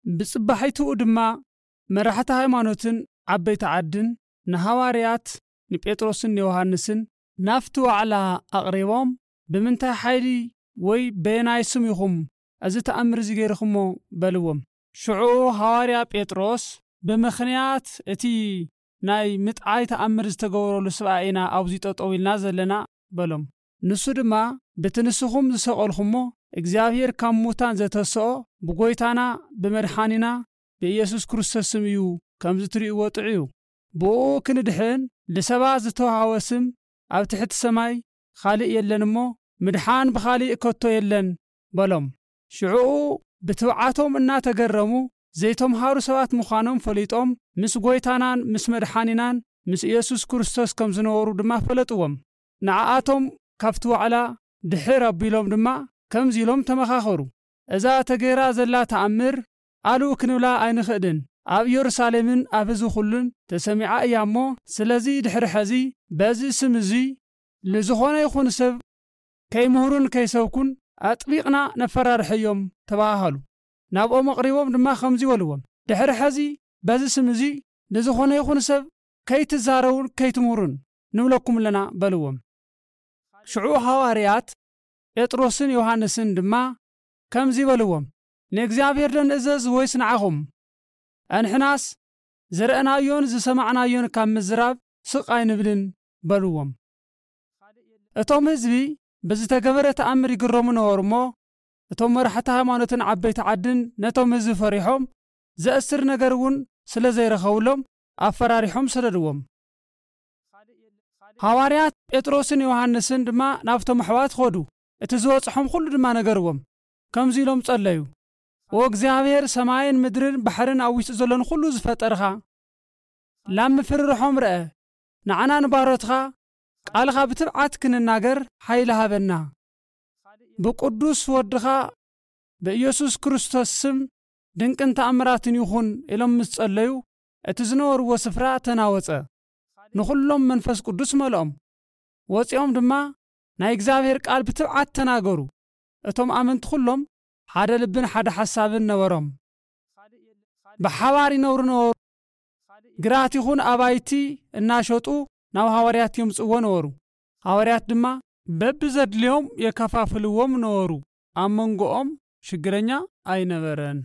ብጽባሒትኡ ድማ መራሕቲ ሃይማኖትን ዓበይቲ ዓድን ንሃዋርያት ንጴጥሮስን ንዮሃንስን ናብቲ ዋዕላ ኣቕሪቦም፣ "ብምንታይ ሓይሊ ወይ በየናይ ስም ኢኹም እዚ ተኣምር እዚ ገይርኹሞ?" በልዎም። ሽዑ ሃዋርያ ጴጥሮስ፣ "ብምኽንያት እቲ ናይ ምጥዓይ ተኣምር ዝተገበረሉ ስብኣይ ኢና ኣብዚ ጠጠው ኢልና ዘለና" በሎም። ንሱ ድማ፣ "በቲ ንስኹም ዝሰቐልኹሞ እግዚኣብሔር ካብ ሙታን ዘተስኦ ብጎይታና ብመድሓኒና ብኢየሱስ ክርስቶስ ስም እዩ፣ ከምዚ ትርእይዎ ጥዑዩ። ብኡ ክንድሕን ልሰባት ዝተዋህበ ስም ኣብ ትሕቲ ሰማይ ካልእ የለን እሞ፣ ምድሓን ብኻልእ ከቶ የለን" በሎም። ሽዑኡ ብትብዓቶም እናተገረሙ ዘይተምሃሩ ሰባት ምዃኖም ፈሊጦም፣ ምስ ጎይታናን ምስ መድሓኒናን ምስ ኢየሱስ ክርስቶስ ከም ዝነበሩ ድማ ፈለጥዎም። ንዓኣቶም ካብቲ ዋዕላ ድሕር ኣቢሎም ድማ ከምዚ ኢሎም ተመኻኸሩ፣ "እዛ ተገይራ ዘላ ተኣምር ኣሉ ክንብላ ኣይንኽእልን። ኣብ ኢየሩሳሌምን ኣብ ህዝቢ ኩሉን ተሰሚዓ እያ እሞ፣ ስለዚ ድሕሪ ሐዚ በዚ ስም እዚ ንዝኾነ ይኹን ሰብ ከይምህሩን ከይሰብኩን ኣጥቢቕና ነፈራርሐዮም" ተባሃሃሉ። ናብኦም ኣቕሪቦም ድማ ከምዚ በልዎም፣ "ድሕሪ ሐዚ በዚ ስም እዚ ንዝኾነ ይኹን ሰብ ከይትዛረቡን ከይትምህሩን ንብለኩም ኣለና" በልዎም። ሽዑ ሃዋርያት ጴጥሮስን ዮሃንስን ድማ ከምዚ በልዎም፣ "ንእግዚኣብሔር ዶ ንእዘዝ ወይስ ንዓኹም? ኣንሕናስ ዝረኣናዮን ዝሰማዕናዮን ካብ ምዝራብ ስቕ ኣይንብልን" በልዎም። እቶም ህዝቢ ብዝተገበረ ተኣምር ይግረሙ ነበሩ እሞ፣ እቶም መራሕቲ ሃይማኖትን ዓበይቲ ዓድን ነቶም ህዝቢ ፈሪሖም፣ ዘእስር ነገር እውን ስለ ዘይረኸብሎም ኣፈራሪሖም ሰደድዎም። ሃዋርያት ጴጥሮስን ዮሃንስን ድማ ናብቶም ኣሕዋት ኸዱ፣ እቲ ዝበጽሖም ኩሉ ድማ ነገርዎም። ከምዚ ኢሎም ጸለዩ፣ "ኦ እግዚኣብሔር፣ ሰማይን ምድርን ባሕርን ኣብ ውሽጡ ዘሎን ኩሉ ዝፈጠርኻ፣ ላብ ምፍርርሖም ርአ፣ ንዓና ንባሮትኻ ቃልኻ ብትብዓት ክንናገር ሓይሊ ሃበና። ብቅዱስ ወድኻ ብኢየሱስ ክርስቶስ ስም ድንቅን ተኣምራትን ይኹን" ኢሎም ምስ ጸለዩ፣ እቲ ዝነበርዎ ስፍራ ተናወጸ። ንኹሎም መንፈስ ቅዱስ መልኦም። ወጺኦም ድማ ናይ እግዚኣብሔር ቃል ብትብዓት ተናገሩ። እቶም ኣመንቲ ኩሎም ሓደ ልብን ሓደ ሓሳብን ነበሮም። ብሓባር ይነብሩ ነበሩ። ግራት ይኹን ኣባይቲ እናሸጡ ናብ ሃዋርያት የምጽእዎ ነበሩ። ሃዋርያት ድማ በብዘድልዮም የከፋፍልዎም ነበሩ። ኣብ መንጎኦም ሽግረኛ ኣይነበረን።